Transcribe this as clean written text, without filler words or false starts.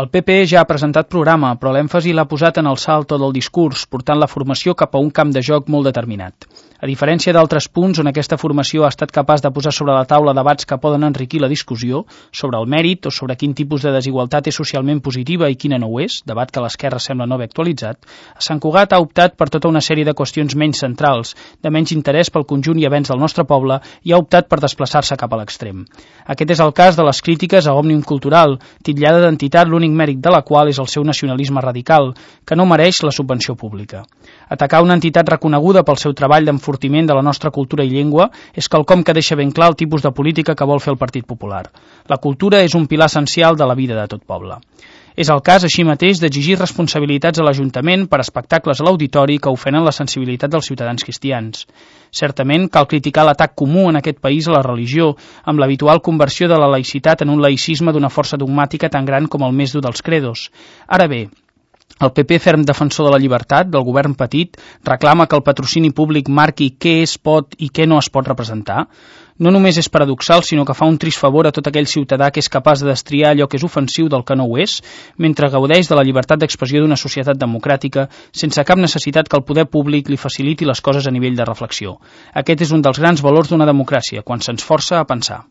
El PP ja ha presentat programa, però l'èmfasi l'ha posat en el salto del discurs, portant la formació cap a un camp de joc molt determinat. A diferència d'altres punts on aquesta formació ha estat capaç de posar sobre la taula debats que poden enriquir la discussió sobre el mèrit o sobre quin tipus de desigualtat és socialment positiva i quina no ho és, debat que l'esquerra sembla no haver actualitzat, a Sant Cugat ha optat per tota una sèrie de qüestions menys centrals, de menys interès pel conjunt i avenç del nostre poble, i ha optat per desplaçar-se cap a l'extrem. Aquest és el cas de les crítiques a Òmnium Cultural, titllada d'entitat l'únic mèrit de la qual és el seu nacionalisme radical, que no mereix la subvenció pública. Atacar una entitat reconeguda pel seu treball d'enfortiment de la nostra cultura i llengua és quelcom que deixa ben clar el tipus de política que vol fer el Partit Popular. La cultura és un pilar essencial de la vida de tot poble. És el cas, així mateix, d'exigir responsabilitats a l'Ajuntament per espectacles a l'auditori que ofenen la sensibilitat dels ciutadans cristians. Certament, cal criticar l'atac comú en aquest país a la religió, amb l'habitual conversió de la laïcitat en un laïcisme d'una força dogmàtica tan gran com el més dur dels credos. Ara bé, el PP, ferm defensor de la llibertat, del govern petit, reclama que el patrocini públic marqui què es pot i què no es pot representar. No només és paradoxal, sinó que fa un trist favor a tot aquell ciutadà que és capaç de destriar allò que és ofensiu del que no ho és, mentre gaudeix de la llibertat d'expressió d'una societat democràtica, sense cap necessitat que el poder públic li faciliti les coses a nivell de reflexió. Aquest és un dels grans valors d'una democràcia, quan se'ns força a pensar.